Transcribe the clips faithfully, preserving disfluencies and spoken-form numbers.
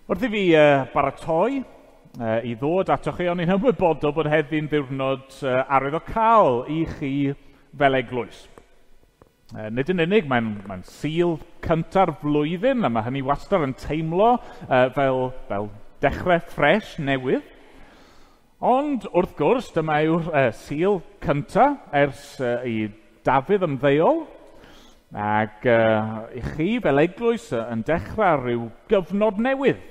Wrth i fi uh, baratoi uh, i ddod atoch chi, o'n i'n ymwybodol bod heddi'n ddiwrnod uh, arwyddocaol i chi fel eglwys. Uh, nid yn unig, mae'n mae Sul cynta'r flwyddyn, a mae hynny wastad yn teimlo uh, fel, fel dechrau ffres newydd. Ond wrth gwrs, dyma yw'r uh, Sul cynta ers uh, i Dafydd ymddeol, ac uh, i chi fel eglwys yn dechrau rhyw gyfnod newydd.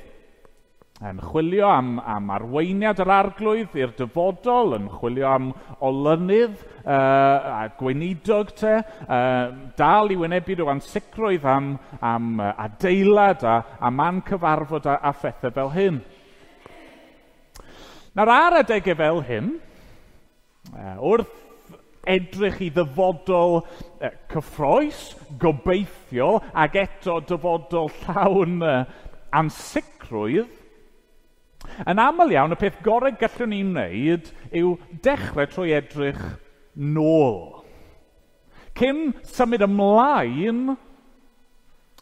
Yn chwilio am, am arweiniad yr Arglwydd i'r dyfodol, yn chwilio am olynydd uh, a gweinidog te, uh, dal i wynebu rhyw ansicrwydd am, am adeilad a, a man cyfarfod a, a phethau fel hyn. Nawr ar adegau fel hyn, uh, wrth edrych i ddyfodol uh, cyffrous, gobeithio, ac eto dyfodol llawn uh, ansicrwydd, yn aml iawn, y peth gorau gallwn ni wneud yw dechrau trwy edrych nôl. Cyn symud ymlaen,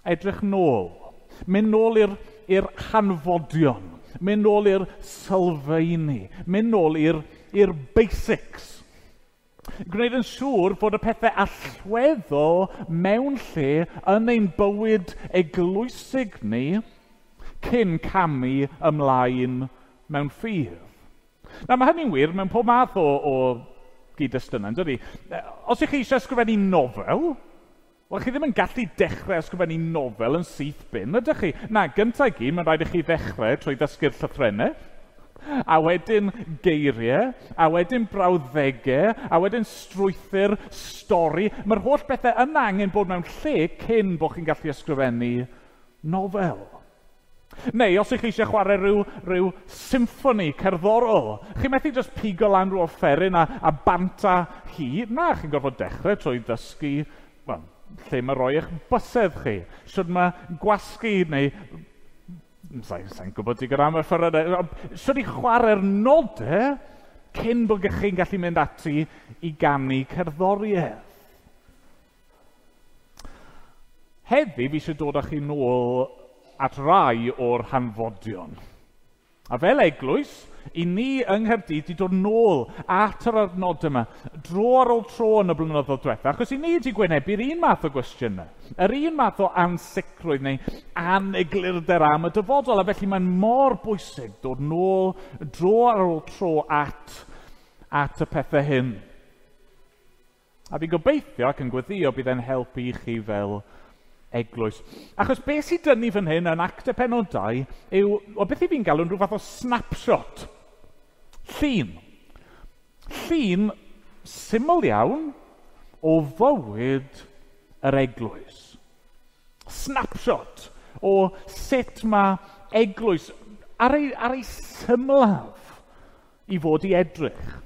edrych nôl. Mynd nôl i'r, i'r hanfodion, mynd nôl i'r sylfaeni, mynd nôl i'r, i'r basics. Gwneud yn siŵr fod y pethau allweddol mewn lle yn ein bywyd eglwysig ni cyn camu ymlaen mewn ffydd. Nawr, mae hynny'n wir mewn pob math o, o gyd-destunau, yn dydi? Os ych chi eisiau ysgrifennu nofel, wel, chi ddim yn gallu dechrau ysgrifennu nofel yn syth bin, ydych chi? Na, gyntaf i gyd, mae'n rhaid i chi ddechrau trwy ddysgu'r llythrennau, a wedyn geiriau, a wedyn brawddegau, a wedyn strwythur, stori. Mae'r holl bethau yna angen bod mewn lle cyn bod chi'n gallu ysgrifennu nofel. Neu, os ych chi eisiau chwarae rhyw, rhyw symffoni cerddorol, chi methu just pigo lan rhyw offeryn a, a banta hi. Na, chi'n gorfod dechrau trwy ddysgu, well, lle mae roi eich bysedd chi. Shwd mae gwasgu neu... Sa'n sa gwybod digon am y offerynnau. Shwd i chwarae'r nodau cyn bod chi'n gallu mynd ati i ganu cerddoriaeth. Heddi, fi eisiau dod â chi nôl at rai o'r hanfodion. A fel eglwys, i ni yng Nghaerdydd wedi dod nôl at yr adnod yma, dro ar ôl tro yn y blynyddoedd diwetha, achos i ni wedi gwynebu'r un math o gwestiynau, yr un math o ansicrwydd neu aneglurder am y dyfodol, a felly mae'n mor bwysig dod nôl dro ar ôl tro at, at y pethau hyn. A fi'n gobeithio ac yn gweddïo bydd e'n helpu i chi fel eglwys. Achos beth sydd dynnu fan hyn yn Actau pennod dau yw, o beth i fi'n galw'n rhyw fath o snapshot. Llun. Llun syml iawn o fywyd yr eglwys. Snapshot o sut mae eglwys ar ei, ar ei symlaf i fod i edrych.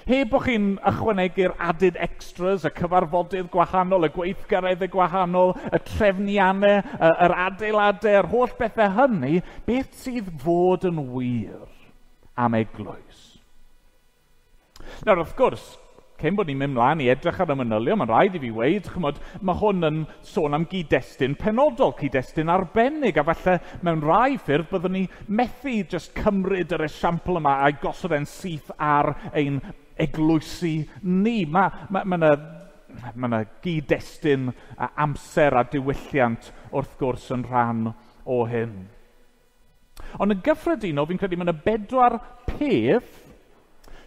Heb bod chi'n ychwanegu'r added extras, y cyfarfodydd gwahanol, y gweithgareddau gwahanol, y trefniannau, yr adeiladau, yr holl bethau hynny, beth sydd fod yn wir am eglwys? Nawr, wrth gwrs, cyn bod ni'n mynd mlaen i edrych ar y manylion, mae'n rhaid i fi weud, chymod, mae hwn yn sôn am gyd-destun penodol, cyd-destun arbennig, a falle mewn rai ffyrdd byddwn ni methu just cymryd yr esiampl yma a'i gosod e'n syth ar ein eglwysi ni. Mae ma, ma yna ma yna gyd-destun a amser a diwylliant wrth gwrs yn rhan o hyn. Ond yn gyffredinol, fi'n credu mae yna bedwar peth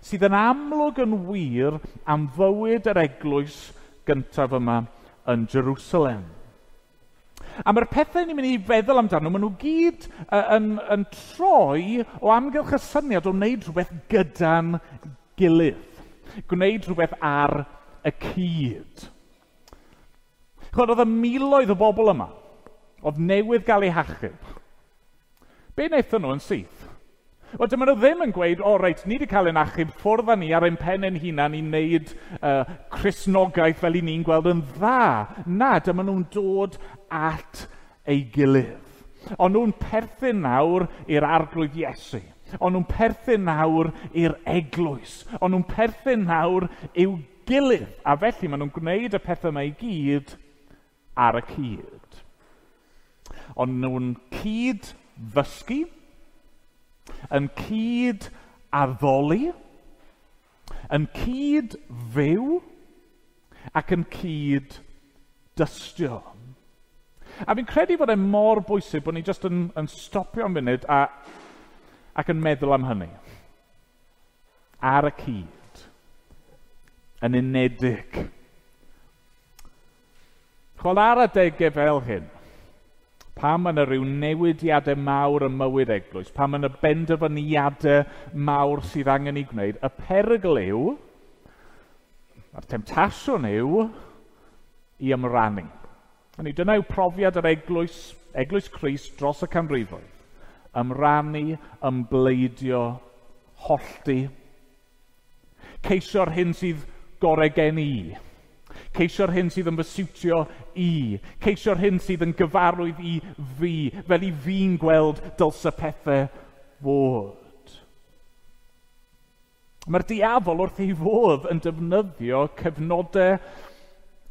sydd yn amlwg yn wir am fywyd yr eglwys gyntaf yma yn Jerusalem. A mae'r pethau ni'n mynd i feddwl amdano, maen nhw gyd yn, yn troi o amgylch y syniad o wneud rhywbeth gyda'n gilydd. Gwneud rhywbeth ar y cyd. Chod, oedd y miloedd o bobl yma, oedd newydd gael eu hachub. Be wnaethon nhw yn syth? Wel, dyma nhw ddim yn gweud, o reit, ni wedi cael ein achub, ffwrdd â ni ar ein pen ein hunan i wneud uh, Cristnogaeth fel i ni'n gweld yn dda. Na, dyma nhw'n dod at ei gilydd. Ond nhw'n perthyn nawr i'r Arglwydd Iesu. Ond nhw'n perthyn nawr i'r eglwys. Ond nhw'n perthyn nawr i'w gilydd. A felly maen nhw'n gwneud y pethau yma i gyd ar y cyd. Ond nhw'n cyd ddysgu, yn cyd addoli, yn cyd fyw ac yn cyd dystio. A fi'n credu bod e mor bwysig bod ni jyst yn, yn stopio am funud a, ac yn meddwl am hynny. Ar y cyd. Yn unedig. Chwel ar adegau fel hyn, pam mae yna rhyw newidiadau mawr ym mywyd eglwys, pam mae yna benderfyniadau mawr sydd angen ei gwneud, y perygl yw, a'r temtasiwn yw, i ymrannu. Hynny, dyna yw profiad yr eglwys, eglwys Crist dros y canrifoedd. Ymrannu, ymbleidio, hollti. Ceisio'r hyn sydd gorau gen i. Ceisio'r hyn sydd yn fy siwtio i. Ceisio'r hyn sydd yn gyfarwydd i fi, fel i fi'n gweld dylse pethau fod. Mae'r diafol wrth ei fodd yn defnyddio cyfnodau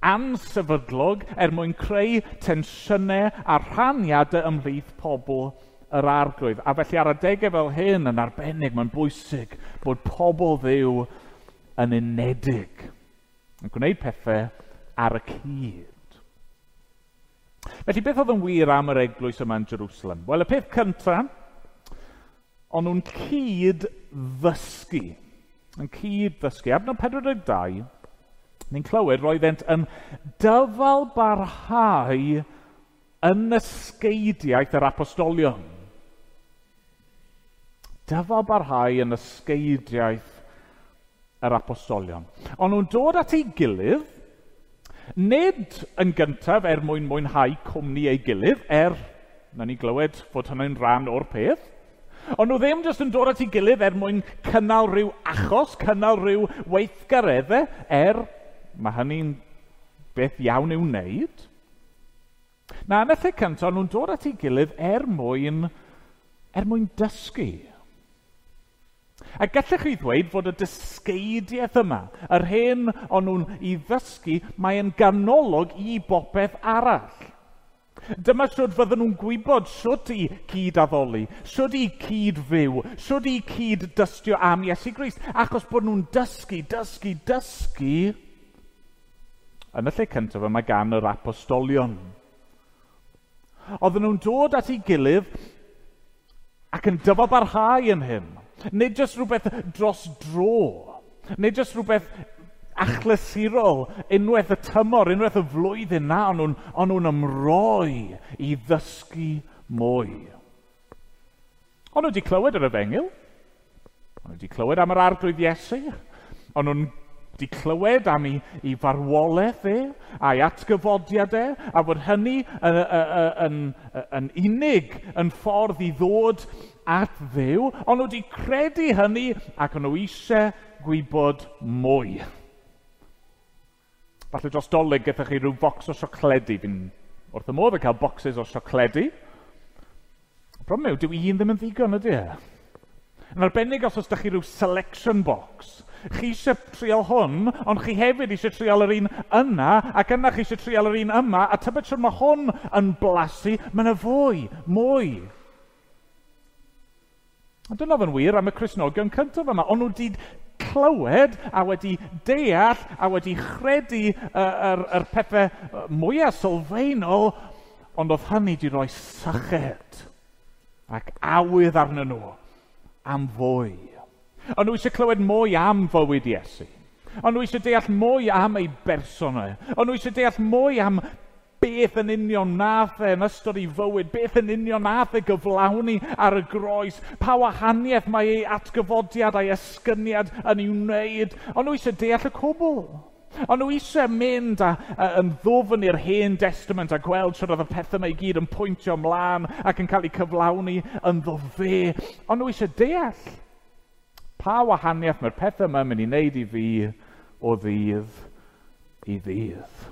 ansefydlog er mwyn creu tensiynau a rhaniadau ymhlith pobl yr Arglwydd. A felly ar adegau fel hyn yn arbennig, mae'n bwysig bod pobl Dduw yn unedig, yn gwneud pethau ar y cyd. Felly beth oedd yn wir am yr eglwys yma yn Jerusalem? Wel, y peth cyntaf, o'n nhw'n cyd ddysgu. Yn cyd ddysgu. Adnod pedwar deg dau, ni'n clywed roeddent yn dyfal barhau yn ysgeidiaeth yr apostolion. Dyfal barhau yn ysgeidiaeth yr apostolion. Ond nhw'n dod at ei gilydd, nid yn gyntaf er mwyn mwynhau cwmni ei gilydd, er, na ni glywed fod hynny'n rhan o'r peth, ond nhw ddim jyst yn dod at ei gilydd er mwyn cynnal rhyw achos, cynnal rhyw weithgareddau, er mae hynny'n beth iawn i'w wneud. Na, yn y lle cyntaf, nhw'n dod at ei gilydd er mwyn, er mwyn dysgu. A gallech chi ddweud fod y dysgeidiaeth yma, yr hyn o'n nhw'n ei ddysgu, mae'n ganolog i bopeth arall. Dyma sut fydden nhw'n gwybod sut i cyd-addoli, sut i cyd-fyw, sut i cyd-dystio am Iesu Grist, achos bod nhw'n dysgu, dysgu, dysgu yn y lle cyntaf yma gan yr apostolion. Oedden nhw'n dod at ei gilydd ac yn dyfalbarhau yn hyn. Nid jyst rhywbeth dros dro, nid jyst rhywbeth achlysurol, unwaith y tymor, unwaith y flwyddyn, na, o'n nhw'n, o'n nhw'n ymroi i ddysgu mwy. O'n nhw wedi clywed yr efengyl, o'n nhw wedi clywed am yr Arglwydd Iesu, o'n nhw'n wedi clywed am ei, ei farwolaeth e, a'i atgyfodiad e, a bod hynny yn, yn, yn, yn unig yn ffordd i ddod at Dduw, ond nhw wedi credu hynny ac o'n nhw eisiau gwybod mwy. Falle dros Dolig gaethoch chi rhyw bocs o siocledi. Fi'n wrth y modd yn cael boxes o siocledi. Y problem yw, dyw un ddim yn ddigon, ydy e? Yn arbennig os oes da chi rhyw selection box. Chi eisiau trial hwn, ond chi hefyd eisiau trial yr un yna, ac yna chi eisiau trial yr un yma, a tybed sut mae hwn yn blasu, mae yna fwy, mwy. A dyna oedd yn wir am y Cristnogion cyntaf yma. Ond nhw wedi clywed a wedi deall a wedi chredu yr, yr pethau mwyaf sylfaenol, ond oedd hynny wedi rhoi syched ac awydd arnyn nhw am fwy. Ond nhw eisiau clywed mwy am fywyd Iesu. Ond nhw eisiau deall mwy am ei berson e. Ond nhw eisiau deall mwy am beth yn union nath e yn ystod ei fywyd, beth yn union nath e gyflawni ar y groes, pa wahaniaeth mae ei atgyfodiad a'i esgyniad yn ei wneud. Ond nhw eisiau deall y cwbl. Ond nhw eisiau mynd a, a, yn ddwfn i'r Hen Testament a gweld sut oedd y pethau yma i gyd yn pwyntio ymlaen ac yn cael eu cyflawni ynddo fe. Ond nhw eisiau deall pa wahaniaeth mae'r pethau yma yn mynd i wneud i fi o ddydd i ddydd.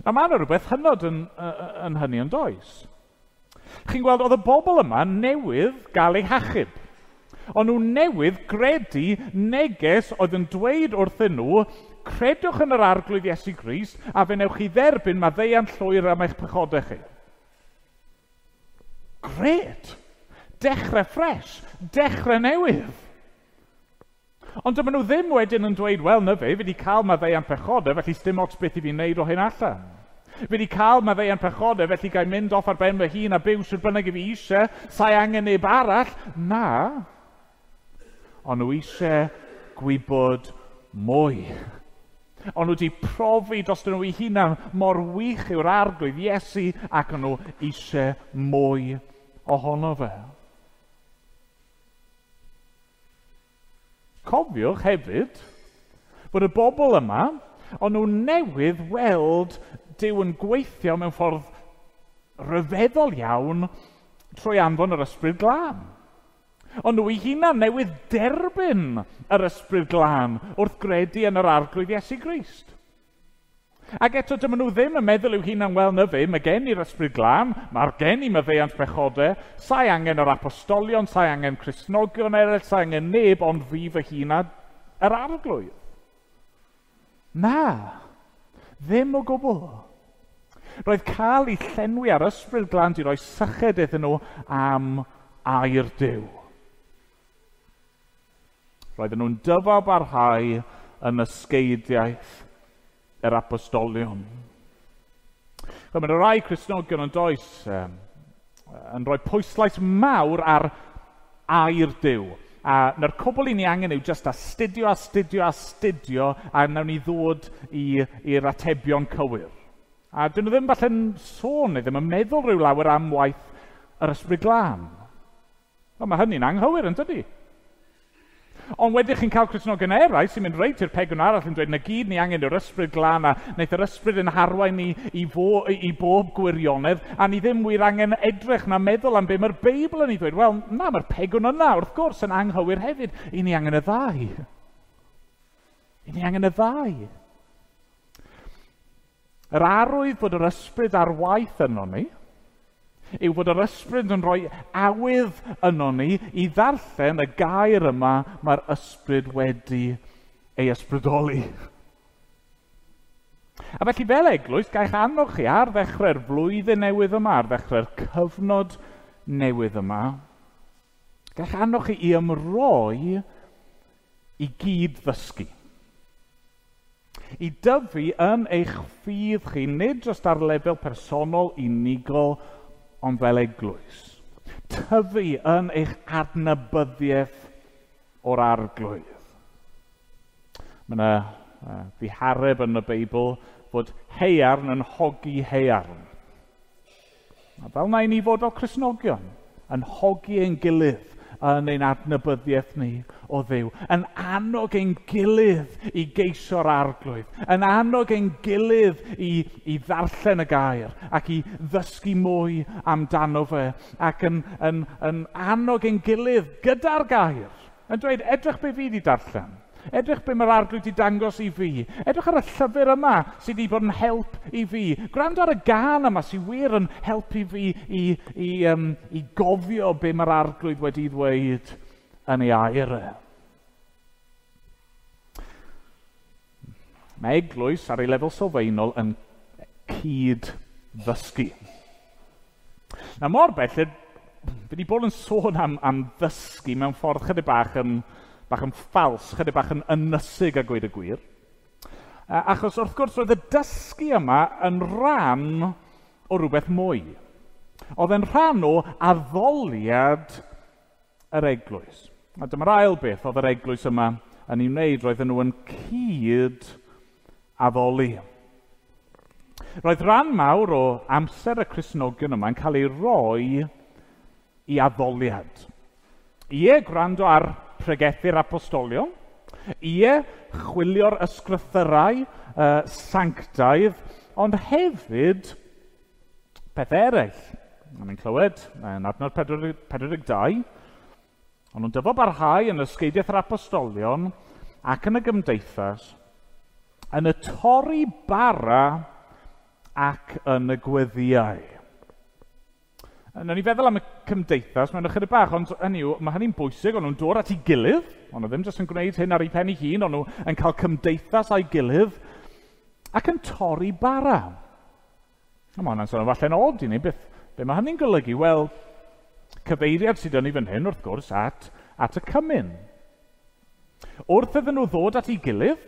Na, mae yna rhywbeth hynod yn, yn hynny yn does. Chi'n gweld, oedd y bobl yma newydd gael eu hachub. O'n nhw newydd gredu neges oedd yn dweud wrthyn nhw, credwch yn yr Arglwydd Iesu Grist a fe newch chi dderbyn maddeuant llwyr am eich pechodau chi. Grêt! Dechrau ffres, dechrau newydd. Ond dyma nhw ddim wedyn yn dweud, wel, na fe, fi wedi cael maddeuant pechodau, felly sdim ots beth i fi wneud o hyn allan. Fi wedi cael maddeuant pechodau, felly gael mynd off ar ben fy hun a byw sut bynnag i fi eisiau, sa'i angen neb arall. Na, ond nhw eisiau gwybod mwy. Ond nhw wedi profi dros nhw eu hunan mor wych yw'r Arglwydd Iesu ac o'n nhw eisiau mwy ohono fe. Cofiwch hefyd bod y bobl yma, o'n nhw newydd weld Duw yn gweithio mewn ffordd rhyfeddol iawn trwy anfon yr Ysbryd Glân. Ond nhw eu hunan newydd derbyn yr Ysbryd Glân wrth gredu yn yr Arglwydd Iesu Grist. Ac eto dyma nhw ddim yn meddwl i'w hunan, wel na fe, mae gen i'r Ysbryd Glân, mae'r gen i maddeuant pechodau, sa'i angen yr apostolion, sa'i angen Cristnogion eraill, sa'i angen neb, ond fi fy hun a yr Arglwydd. Na, ddim o gwbl. Roedd cael eu llenwi ar Ysbryd Glân di roi syched iddyn nhw am air Duw. Roedden nhw'n dyfalbarhau yn ysgeidiaeth yr apostolion. Mae yna rai Cristnogion yn does um, yn rhoi pwyslais mawr ar air Duw. A na'r cwbl i ni angen yw just astudio, astudio, astudio, a nawn ni ddod i'r atebion cywir. A dyn nhw ddim falle'n sôn neu ddim yn meddwl rhyw lawer am waith yr Ysbryd Glân. Wel, mae hynny'n anghywir, yn dydi? Ond wedyn chi'n cael Cristnogion eraill sy'n mynd reit i'r pegwn arall yn dweud na gyd ni angen yw'r Ysbryd Glân a wnaeth yr Ysbryd yn harwain ni i, fo, i bob gwirionedd a ni ddim wir angen edrych na meddwl am be mae'r Beibl yn ei ddweud. Wel, na, mae'r pegwn yna wrth gwrs yn anghywir hefyd. I ni angen y ddau. I ni angen y ddau. Yr arwydd bod yr Ysbryd ar waith yno ni yw bod yr Ysbryd yn rhoi awydd yno ni i ddarllen y gair yma mae'r Ysbryd wedi ei ysbrydoli. A felly fel eglwys, gael annog chi ar ddechrau'r flwyddyn newydd yma, ar ddechrau'r cyfnod newydd yma, gael annog chi i ymroi i gyd ddysgu. I dyfu yn eich ffydd chi, nid jyst ar lefel personol unigol, ond fel eglwys. Tyfu yn eich adnabyddiaeth o'r Arglwydd. Mae yna uh, ddihareb yn y Beibl fod haearn yn hogi haearn. A fel na i ni fod fel Cristnogion, yn hogi ein gilydd yn ein adnabyddiaeth ni o Dduw, yn annog ein gilydd i geisio'r Arglwydd, yn annog ein gilydd i, i ddarllen y gair ac i ddysgu mwy amdano fe, ac yn, yn, yn annog ein gilydd gyda'r gair, yn dweud, edrych be fi wedi darllen, edrych be mae'r Arglwydd wedi dangos i fi, edrych ar y llyfr yma sydd wedi bod yn help i fi, gwrando ar y gân yma sydd wir yn helpu fi i, i, um, i gofio be mae'r Arglwydd wedi ddweud yn ei air e. Mae eglwys ar ei lefel sylfaenol yn cyd-ddysgu. Na mor bell, fi wedi bod yn sôn am, am ddysgu mewn ffordd chydig bach yn bach yn ffals, chydig bach yn ynysig a gweud y gwir. Achos wrth gwrs roedd y dysgu yma yn rhan o rhywbeth mwy. Oedd yn rhan o addoliad yr eglwys. A dyma'r ail beth oedd yr eglwys yma yn ei wneud, roedden nhw yn cyd addoli. Roedd rhan mawr o amser y Cristnogion yma yn cael ei roi i addoliad. Ie, gwrando ar pregethu'r apostolion, ie, chwilio'r ysgrythyrau uh, sanctaidd, ond hefyd peth eraill. A ni'n clywed yn adnod pedwar deg dau, ond nhw'n dyfalbarhau yn ysgeidiaeth yr apostolion ac yn y gymdeithas, yn y torri bara ac yn y gweddïau. Nawn ni feddwl am y cymdeithas mewn ychydig bach, ond hynny yw, mae hynny'n bwysig, ond nhw'n dod at ei gilydd, ond nhw ddim jyst yn gwneud hyn ar ei pen ei hun, ond nhw yn cael cymdeithas a'i gilydd, ac yn torri bara. A mae hwnna'n sôn falle'n od i ni, beth, be mae hynny'n golygu? Wel, Cyfeiriad sydd yn ei fan hyn, wrth gwrs, at, at y cymun. Wrth iddyn nhw ddod at ei gilydd,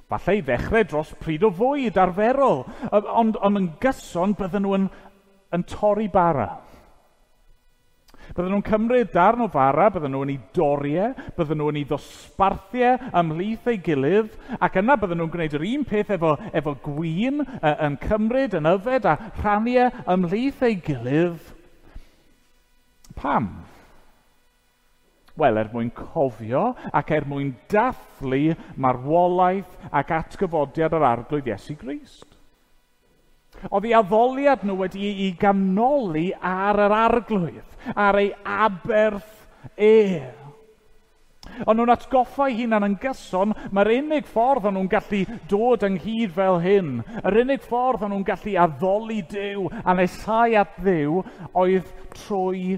falle i ddechrau dros pryd o fwyd arferol, ond, ond yn gyson bydden nhw yn, yn torri bara. Bydden nhw'n cymryd darn o fara, bydden nhw'n ei dorri e, bydden nhw'n ei ddosbarthu e ymhlith ei gilydd, ac yna bydden nhw'n gwneud yr un peth efo, efo gwin, yn cymryd, yn yfed a rhannu e ymhlith ei gilydd. Pam? Wel, er mwyn cofio ac er mwyn dathlu marwolaeth ac atgyfodiad yr Arglwydd Iesu Grist. Oedd ei addoliad nhw wedi ei ganoli ar yr Arglwydd, ar ei aberth e. Ond nhw'n atgoffa eu hunan yn gyson, mae'r unig ffordd o'n nhw'n gallu dod ynghyd fel hyn, yr unig ffordd o'n nhw'n gallu addoli Duw a nesau at Dduw oedd trwy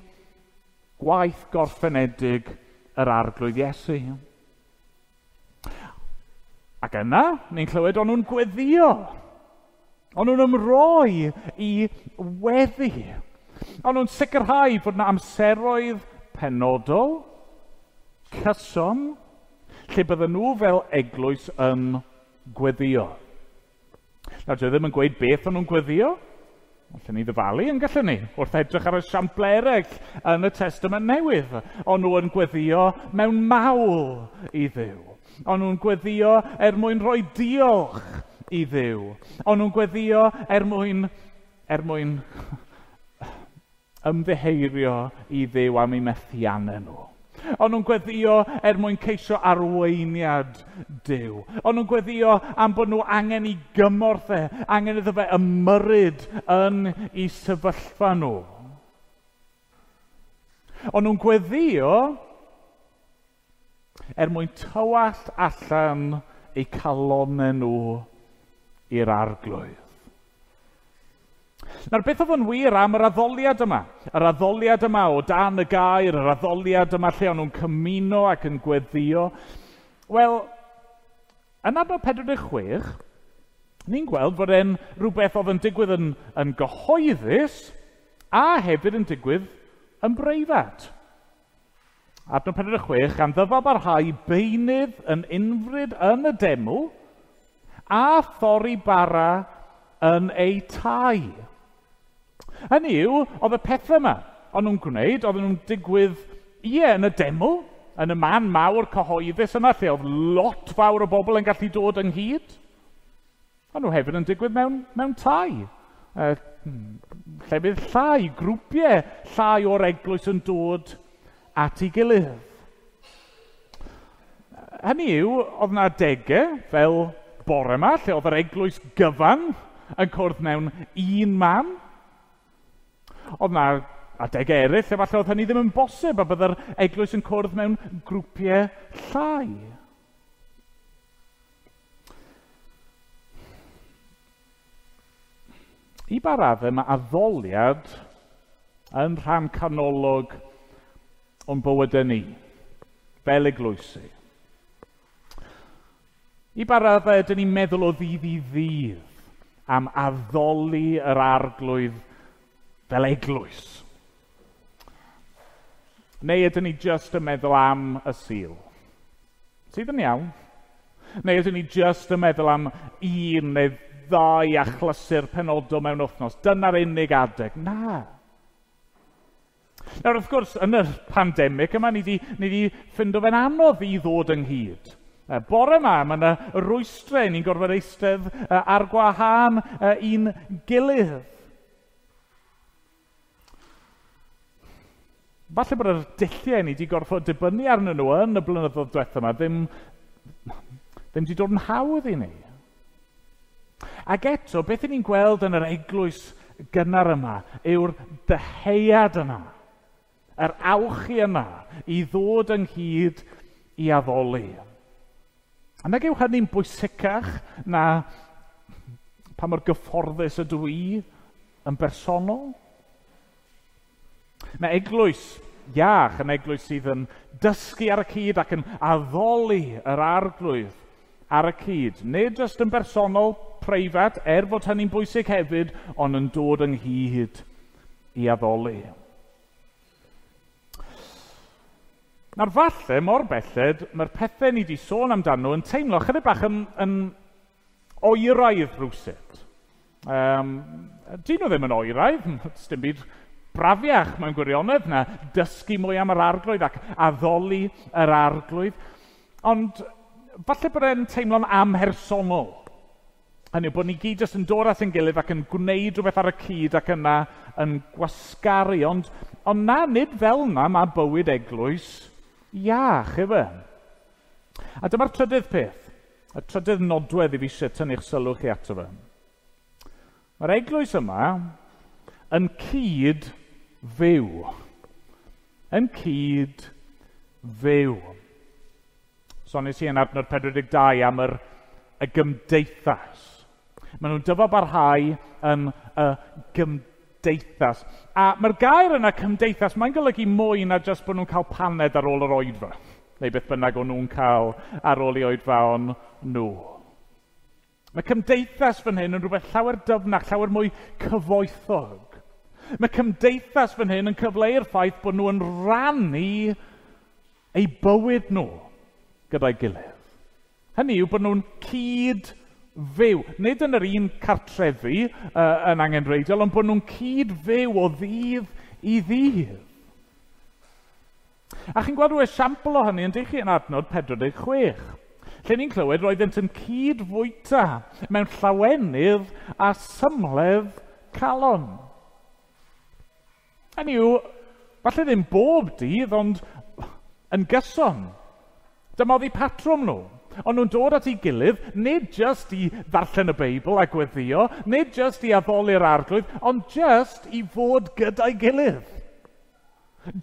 gwaith gorffenedig yr Arglwydd Iesu. Ac yna, ni'n clywed o'n nhw'n gweddio. O'n nhw'n ymroi i weddi. O'n nhw'n sicrhau bod yna amseroedd penodol, cyson, lle bydden nhw fel eglwys yn gweddio. Nawr, dwi ddim yn gweud beth o'n nhw'n gweddio. Allen ni ddyfalu yn gallen ni, wrth edrych ar y siampl eraill yn y Testament Newydd. O'n nhw yn gweddio mewn mawl i Dduw. O'n nhw'n gweddio er mwyn rhoi diolch i Dduw. O'n nhw'n gweddio er mwyn, er mwyn ymddiheurio i Dduw am eu methiannau nhw. O'n nhw'n gweddio er mwyn ceisio arweiniad Duw. O'n nhw'n gweddio am bod nhw angen i gymorth e, angen iddo fe ymyrryd yn eu sefyllfa nhw. O'n nhw'n gweddio er mwyn tywallt allan eu calonnau nhw i'r Arglwydd. Nawr, beth oedd yn wir am yr addoliad yma? Yr addoliad yma o dan y gair, yr addoliad yma lle o'n nhw'n cymuno ac yn gweddio. Wel, yn adnod pedwar deg chwech, ni'n gweld fod e'n rhywbeth oedd yn digwydd yn, yn gyhoeddus a hefyd yn digwydd yn breifat. Adnod pedwar deg chwech, gan ddyfalbarhau beunydd yn unfryd yn y deml a thorri bara yn eu tai. Hynny yw, oedd y pethau yma o'n nhw'n gwneud, oedden nhw'n digwydd, ie, yn y deml, yn y man mawr cyhoeddus yna, lle oedd lot fawr o bobl yn gallu dod ynghyd. O'n nhw hefyd yn digwydd mewn, mewn tai. E, llefydd llai, grwpiau llai o'r eglwys yn dod at ei gilydd. Hynny yw, oedd yna adegau fel bore yma, lle oedd yr eglwys gyfan yn cwrdd mewn un man. Oedd yna adegau eraill, efallai oedd hynny ddim yn bosib, a byddai'r eglwys yn cwrdd mewn grwpiau llai. I ba raddau, mae addoliad yn rhan canolog o'n bywydau ni, fel eglwysi. I ba raddau ydyn ni'n meddwl o ddydd i ddydd am addoli yr Arglwydd fel eglwys? Neu ydyn ni jyst yn meddwl am y Sul? Sydd yn iawn. Neu ydyn ni jyst yn meddwl am un neu ddau achlysur penodol mewn wythnos? Dyna'r unig adeg. Na. Nawr, wrth gwrs, yn y pandemig yma, ni di, ni di ffindo fe'n anodd i ddod ynghyd. Bore yma, mae yna rwystrau, ni'n gorfod eistedd ar gwahân i'n gilydd. Falle bod yr dulliau ni wedi gorfod dibynnu arnyn nhw yn y blynyddoedd diwethaf yma ddim, ddim wedi dod yn hawdd i ni. Ac eto, beth ni'n gweld yn yr eglwys gynnar yma yw'r dyheuad yna, yr awchu yna i ddod ynghyd i addoli. A nag yw hynny'n bwysicach na pa mor gyfforddus ydw i yn bersonol? Mae eglwys iach yn eglwys sydd yn dysgu ar y cyd ac yn addoli yr Arglwydd ar y cyd. Nid jyst yn bersonol, preifat, er fod hynny'n bwysig hefyd, ond yn dod ynghyd i addoli. Nawr falle, mor belled, mae'r pethau ni wedi sôn amdano yn teimlo chydig bach yn, yn oeraidd rhywsut. Um, dyn nhw ddim yn oeraidd, dim byd brafiach mewn gwirionedd na dysgu mwy am yr arglwydd ac addoli yr arglwydd. Ond falle bod e'n teimlo'n amhersonol. Hynny yw bod ni gyd jyst yn dod at ein gilydd ac yn gwneud rhywbeth ar y cyd ac yna yn gwasgaru. Ond, ond na, nid fel na mae bywyd eglwys iach, efe. A dyma'r trydydd peth, y trydydd nodwedd i fi eisiau tynnu'ch sylw chi ato fe. Mae'r eglwys yma yn cyd fyw. Yn cyd fyw. Soniais i yn adnod pedwar deg dau am yr, y gymdeithas. Maen nhw'n dyfalbarhau yn y gymdeithas. A mae'r gair yna, cymdeithas, mae'n golygu mwy na jyst bod nhw'n cael paned ar ôl yr oedfa. Neu beth bynnag o'n nhw'n cael ar ôl i oedfaon nhw. Mae cymdeithas fan hyn yn rhywbeth llawer dyfnach, llawer mwy cyfoethog. Mae cymdeithas fan hyn yn cyfleu'r ffaith bod nhw yn rannu eu bywyd nhw gyda'i gilydd. Hynny yw bod nhw'n cyd-fyw. Nid yn yr un cartrefi uh, yn angenrheidiol, ond bod nhw'n cyd-fyw o ddydd i ddydd. A chi'n gweld rhyw esiampl o hynny yn dych chi yn adnod pedwar deg chwech. Lle ni'n clywed roeddent yn cyd-fwyta mewn llawenydd a symledd calon. Hynny yw, falle ddim bob dydd, ond yn gyson. Dyma oedd eu patrwm nhw. Ond nhw'n dod at ei gilydd, nid jyst i ddarllen y Beibl a gweddio, nid jyst i addoli'r arglwydd, ond jyst i fod gyda'i gilydd.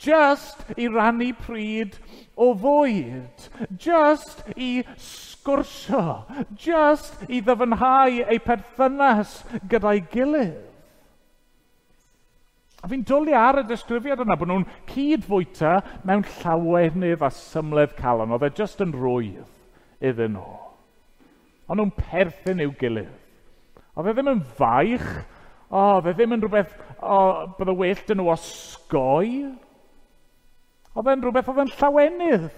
Jyst i rannu pryd o fwyd. Jyst i sgwrsio. Jyst i ddyfnhau eu perthynas gyda'i gilydd. A fi'n dwlu ar y disgrifiad yna bod nhw'n cyd-fwyta mewn llawenydd a symledd calon. Oedd e jyst yn rwydd iddyn nhw. Ond nhw'n perthyn i'w gilydd. Oedd e ddim yn faich. O, oedd e ddim yn rhywbeth o, bydde well dyn nhw osgoi. Oedd e'n rhywbeth oedd yn llawenydd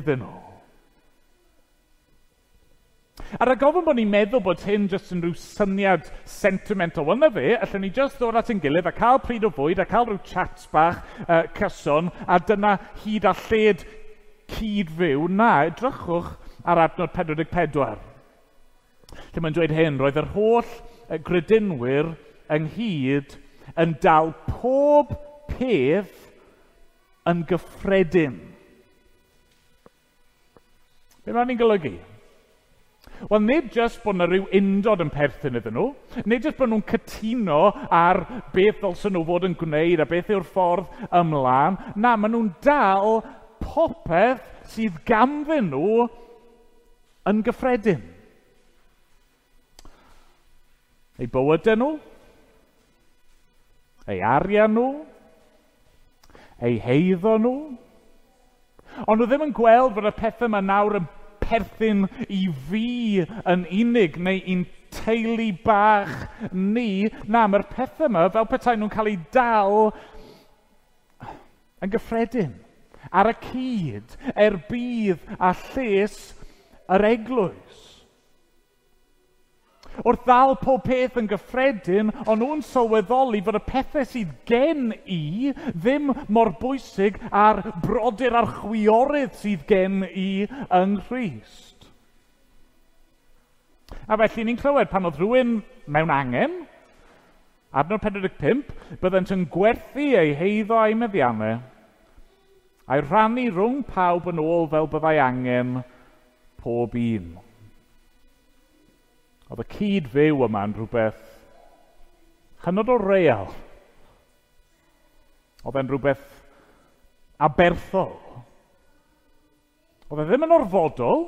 iddyn nhw. A rhag ofn bod ni'n meddwl bod hyn jyst yn rhyw syniad sentimental. Wel, na fe, allwn ni jyst ddod at ein gilydd a cael pryd o fwyd a cael rhyw chats bach uh, cyson a dyna hyd a lled cyd-fyw. Na, edrychwch ar adnod pedwar deg pedwar. Lle mae'n dweud hyn, roedd yr holl gredinwyr ynghyd yn dal pob peth yn gyffredin. Be mae'n ni'n golygu? Wel, nid jyst bod yna rhyw undod yn perthyn iddyn nhw, nid jyst bod nhw'n cytuno ar beth ddylsen nhw fod yn gwneud a beth yw'r ffordd ymlaen. Na, maen nhw'n dal popeth sydd ganddyn nhw yn gyffredin. Eu bywydau nhw, eu arian nhw, eu heiddo nhw. Ond nhw ddim yn gweld bod y pethau yma nawr yn perthyn i fi yn unig neu i'n teulu bach ni. Na, mae'r pethau yma fel petai nhw'n cael eu dal yn gyffredin, ar y cyd, er budd a lles yr eglwys. Wrth ddal pob peth yn gyffredin, ond nhw'n sylweddoli fod y pethau sydd gen i ddim mor bwysig â'r brodyr a'r chwiorydd sydd gen i yng Nghrist. A felly ni'n clywed pan oedd rhywun mewn angen, adnod pedwar deg pump, byddent yn gwerthu eu heiddo a'u meddiannau, a'i rhannu rhwng pawb yn ôl fel byddai angen pob un. Oedd y cyd-fyw yma yn rhywbeth hynod o real. Oedd e'n rhywbeth aberthol. Oedd e ddim yn orfodol.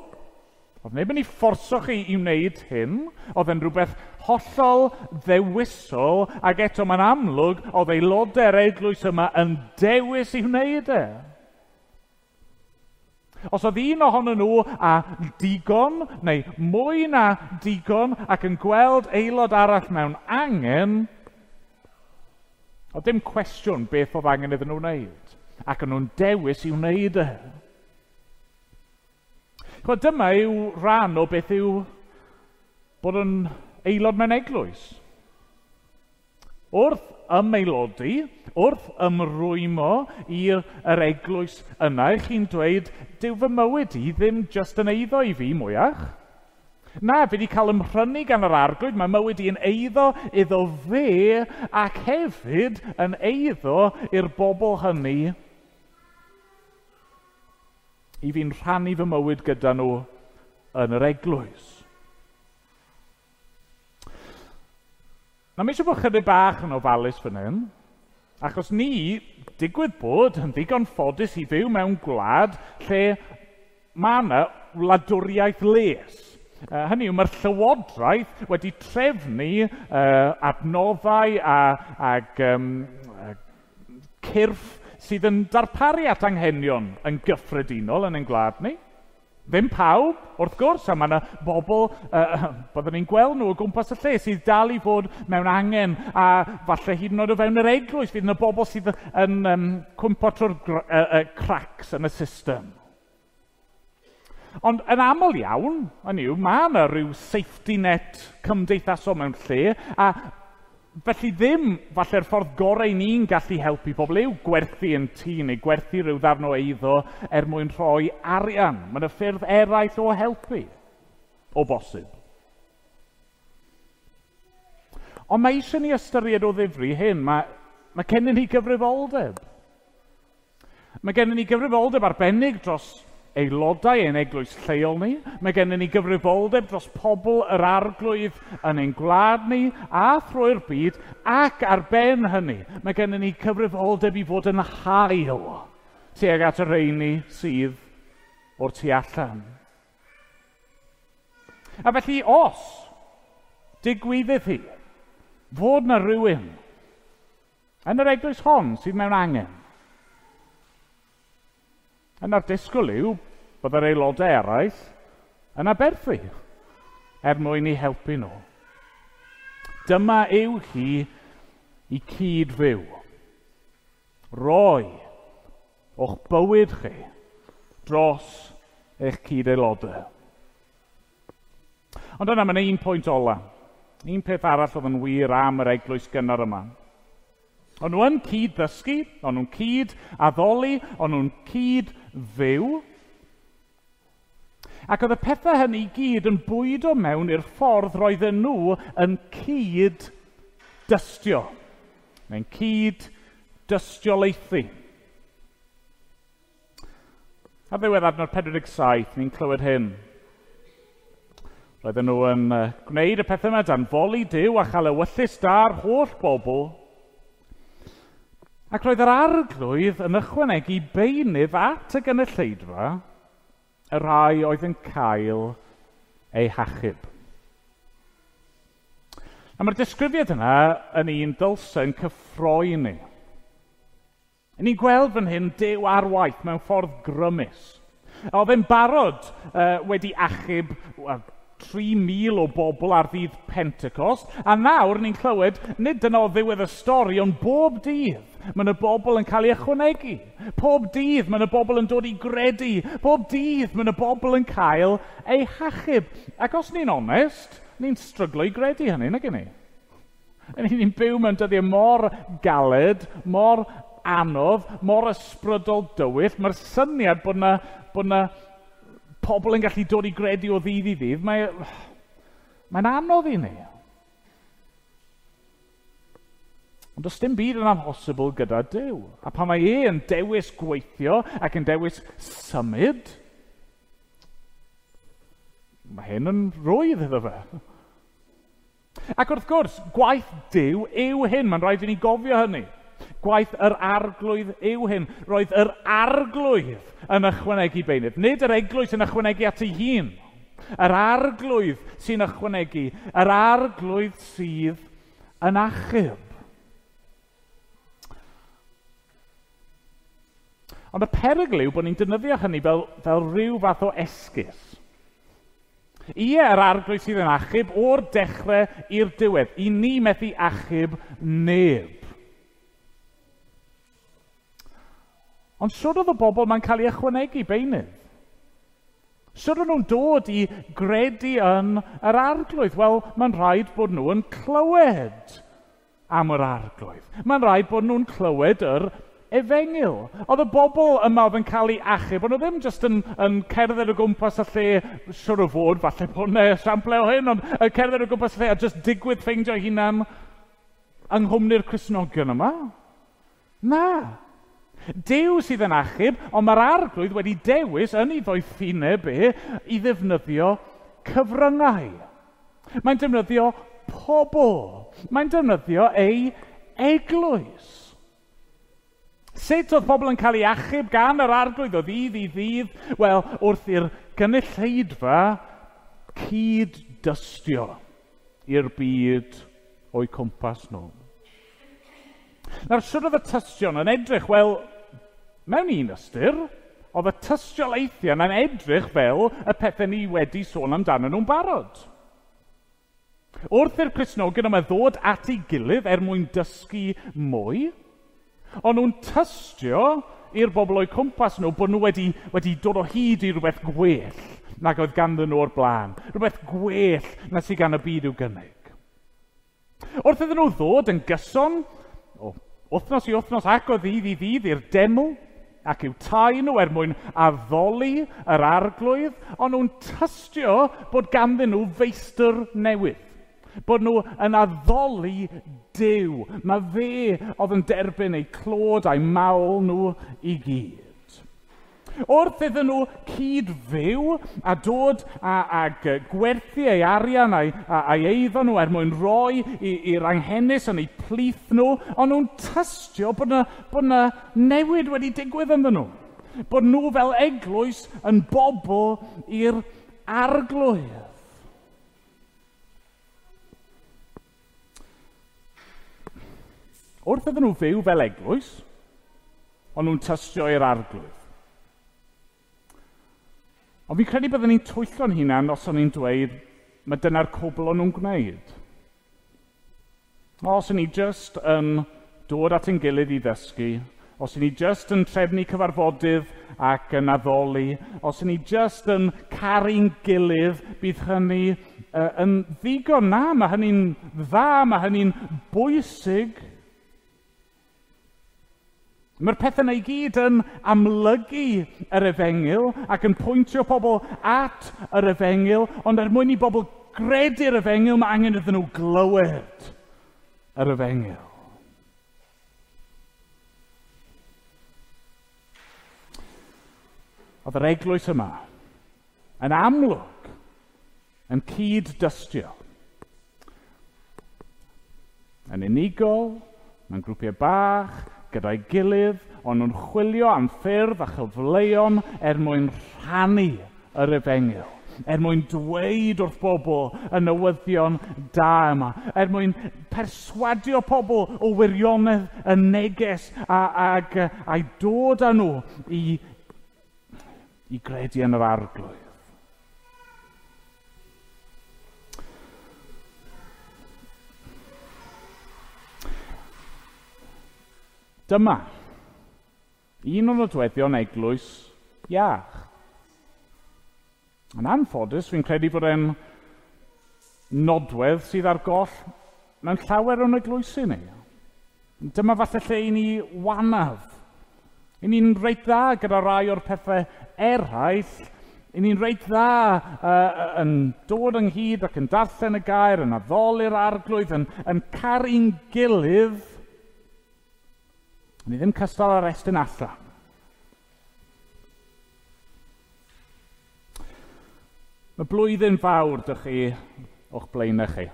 Oedd neb yn ei fforso chi i wneud hyn. Oedd e'n rhywbeth hollol ddewisol, ac eto mae'n amlwg oedd aelodau'r eglwys yma yn dewis i wneud e. Os oedd un ohonyn nhw a digon, neu mwy na digon, ac yn gweld aelod arall mewn angen, oedd dim cwestiwn beth oedd angen iddyn nhw wneud. Ac o'n nhw'n dewis i wneud e. Chwa, dyma yw rhan o beth yw bod yn aelod mewn eglwys. Wrth ymaelodi, wrth ymrwymo i'r yr eglwys yna, chi'n dweud, dyw fy mywyd i ddim jyst yn eiddo i fi mwyach. Na, fi wedi cael ymhrynu gan yr Arglwydd, mae mywyd i yn eiddo iddo fe ac hefyd yn eiddo i'r bobl hynny i fi'n rhannu fy mywyd gyda nhw yn yr eglwys. Na, mi eisiau bod chydig bach yn ofalus fan hyn, achos ni, digwydd bod, yn ddigon ffodus i fyw mewn gwlad lle mae yna wladwriaeth les. Uh, hynny yw, mae'r llywodraeth wedi trefnu uh, adnoddau a, ag um, cyrff sydd yn darparu at anghenion yn gyffredinol yn ein gwlad ni. Ddim pawb, wrth gwrs, a mae yna bobl, uh, byddwn ni'n gweld nhw o gwmpas y lle, sydd dal i fod mewn angen, a falle hyd yn oed o fewn yr eglwys, fydd yna bobl sydd yn um, cwympo trwy'r uh, uh, cracks yn y system. Ond yn aml iawn, hynny yw, mae yna rhyw safety net cymdeithasol mewn lle, a felly ddim falle'r ffordd gorau ni'n gallu helpu pobl yw gwerthu yn tŷ neu gwerthu rhyw ddarn o eiddo er mwyn rhoi arian. Mae yna ffyrdd eraill o helpu, o bosib. Ond mae eisiau ni ystyried o ddifri hyn. Mae, mae gennym ni gyfrifoldeb. Mae gennym ni gyfrifoldeb arbennig dros aelodau ein eglwys lleol ni. Mae gennym ni gyfrifoldeb dros pobl yr Arglwydd yn ein gwlad ni a thrwy'r byd, ac ar ben hynny, mae gennym ni cyfrifoldeb i fod yn hael tuag at y rheini sydd o'r tu allan. A felly, os digwyddydd hi fod na rhywun yn yr eglwys hon sydd mewn angen, yna'r disgwyl yw bod yr aelodau eraill yn aberthu er mwyn i helpu nhw. Dyma yw hi i cyd fyw. Roi o'ch bywyd chi dros eich cyd-aelodau. Ond yna, mae'n un pwynt ola. Un peth arall oedd yn wir am yr eglwys gynnar yma. O'n nhw yn cyd-ddysgu, o'n nhw'n cyd-addoli, o'n nhw'n cyd-fyw. Ac oedd y pethau hynny i gyd yn bwydo mewn i'r ffordd roedden nhw yn cyd-dystio, neu'n cyd-dystiolaethu. Ar ddiwedd adnod pedwar deg saith, ni'n clywed hyn. Roedden nhw yn gwneud y pethau yma dan foli Duw a chael ewyllys da'r holl bobl. Ac roedd yr Arglwydd yn ychwanegu beunydd at y gynulleidfa y rhai oedd yn cael eu hachub. A mae'r disgrifiad yna yn un dylse yn cyffroi ni. Ni'n gweld fan hyn Duw ar waith mewn ffordd grymus. Oedd e'n barod uh, wedi achub well, tri mil o bobl ar ddydd Pentecost, a nawr ni'n clywed, nid dyna o ddiwedd y stori, ond bob dydd mae yna bobl yn cael ei ychwanegu. Pob dydd mae yna bobl yn dod i gredu. Pob dydd mae yna bobl yn cael eu hachub. Ac os ni'n onest, ni'n stryglo i gredu hynny, nag 'yn ni? Ni'n byw mewn dyddiau mor galed, mor anodd, mor ysbrydol dywyll. Mae'r syniad bod yna, bod yna pobl yn gallu dod i gredu o ddydd i ddydd, mae, mae'n anodd i ni. Ond does dim byd yn amhosibl gyda Duw. A pan mae e yn dewis gweithio ac yn dewis symud, mae hyn yn rwydd iddo fe. Ac wrth gwrs, gwaith Duw yw hyn. Mae'n rhaid i ni gofio hynny. Gwaith yr Arglwydd yw hyn. Roedd yr Arglwydd yn ychwanegu beunydd. Nid yr eglwys yn ychwanegu at ei hun. Yr Arglwydd sy'n ychwanegu. Yr Arglwydd sydd yn achub. Ond y perygl yw bod ni'n defnyddio hynny fel, fel rhyw fath o esgus. Ie, yr Arglwydd sydd yn achub o'r dechrau i'r diwedd. I ni methu achub neb. Ond siwr oedd y bobl mae'n cael ei ychwanegu beunydd. Siwr o'n nhw'n dod i gredu yn yr Arglwydd? Wel, mae'n rhaid bod nhw yn clywed am yr Arglwydd. Mae'n rhaid bod nhw'n clywed yr efengyl. Oedd y bobl yma oedd yn cael ei achub, bod nhw ddim jyst yn, yn cerdded o gwmpas y lle, siwr o fod, falle bod yna esiample o hyn, ond yn cerdded o gwmpas y lle a jyst digwydd ffeindio hunan yng nghwmni'r Cristnogion yma. Na. Duw sydd yn achub, ond mae'r Arglwydd wedi dewis yn ei ddoethineb e i ddefnyddio cyfryngau. Mae'n defnyddio pobl. Mae'n defnyddio ei eglwys. Sut oedd pobl yn cael ei achub gan yr Arglwydd o ddydd i ddydd? Wel, wrth i'r gynulleidfa cyd-dystio i'r byd o'u cwmpas nhw. Nawr, sut oedd y tystion yn edrych? Wel, mewn un ystyr, oedd y tystiolaethion yn edrych fel y pethau ni wedi sôn amdano nhw'n barod. Wrth i'r Cristnogion yma ddod at ei gilydd er mwyn dysgu mwy, ond nhw'n tystio i'r bobl o'u cwmpas nhw bod nhw wedi, wedi dod o hyd i rhywbeth gwell nag oedd ganddyn nhw o'r blaen. Rhywbeth gwell na sydd gan y byd i'w gynnig. Wrth iddyn nhw ddod yn gyson, o wythnos i wythnos ac o ddydd i ddydd i'r deml ac i'w tai nhw er mwyn addoli yr Arglwydd, ond nhw'n tystio bod ganddyn nhw feistr newydd. Bod nhw yn addoli Duw. Mae fe oedd yn derbyn eu clod a'i mawl nhw i gyd. Wrth iddyn nhw cyd-fyw a dod a, ag gwerthu ei arian a'i, a'i eiddo nhw er mwyn roi i'r anghenus yn eu plith nhw, ond nhw'n tystio bod yna, bod yna newid wedi digwydd ynddyn nhw. Bod nhw fel eglwys yn bobl i'r Arglwydd. Wrth iddyn nhw fyw fel eglwys, ond nhw'n tystio i'r Arglwydd. Ond fi'n credu byddwn ni'n twyllo'n hunan os o'n i'n dweud mae dyna'r cwbl o'n nhw'n gwneud. Os o'n ni jyst yn dod at ein gilydd i ddysgu, os o'n ni jyst yn trefnu cyfarfodydd ac yn addoli, os o'n ni jyst yn caru'n gilydd, bydd hynny uh, yn ddigon. Na, mae hynny'n dda, mae hynny'n bwysig. Mae'r pethau yna i gyd yn amlygu yr efengyl ac yn pwyntio pobl at yr efengyl, ond er mwyn i bobl gredu'r efengyl, mae angen iddyn nhw glywed yr efengyl. Oedd yr eglwys yma yn amlwg yn cyd-dystio. Yn unigol, mewn grwpiau bach, gyda'i gilydd, ond nhw'n chwilio am ffyrdd a chyfleon er mwyn rhannu yr efengyl, er mwyn dweud wrth bobl y newyddion da yma, er mwyn perswadio pobl o wirionedd y neges a, ag, a'i dod â nhw i, i gredu yn yr Arglwydd. Dyma un o nodweddion eglwys iach. Yn anffodus, fi'n credu bod e'n nodwedd sydd ar goll mewn llawer o'n eglwysi ni. Dyma falle lle i ni wanaf. I ni'n reit dda gyda rai o'r pethau eraill. I ni'n reit dda uh, yn dod ynghyd ac yn darllen y gair, yn addoli'r Arglwydd, yn, yn caru'n gilydd. Ni ddim cystal ar estyn allan. Mae blwyddyn fawr dych chi o'ch blaenau chi.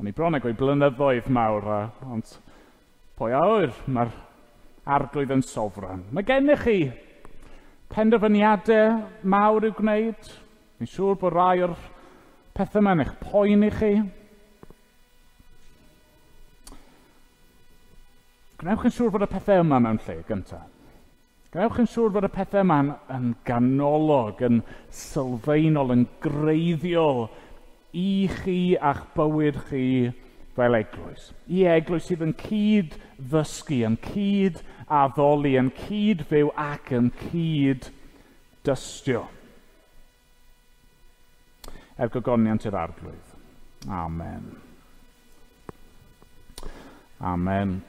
O'n i bron ag o'i blynyddoedd mawr, ond pwy a ŵyr, mae'r Arglwydd yn sofran. Mae gennych chi penderfyniadau mawr i'w gwneud. Fi'n siŵr bod rai o'r pethau yma yn eich poeni chi. Gwnewch yn siŵr bod y pethau yma mewn lle gyntaf. Gwnewch yn siŵr bod y pethau yma yn, yn ganolog, yn sylfaenol, yn greiddiol i chi a'ch bywyd chi fel eglwys. I eglwys sydd yn cyd-ddysgu, yn cyd-addoli, addoli, yn cyd-fyw ac yn cyd-dystio. Er gogoniant i'r Arglwydd. Amen. Amen.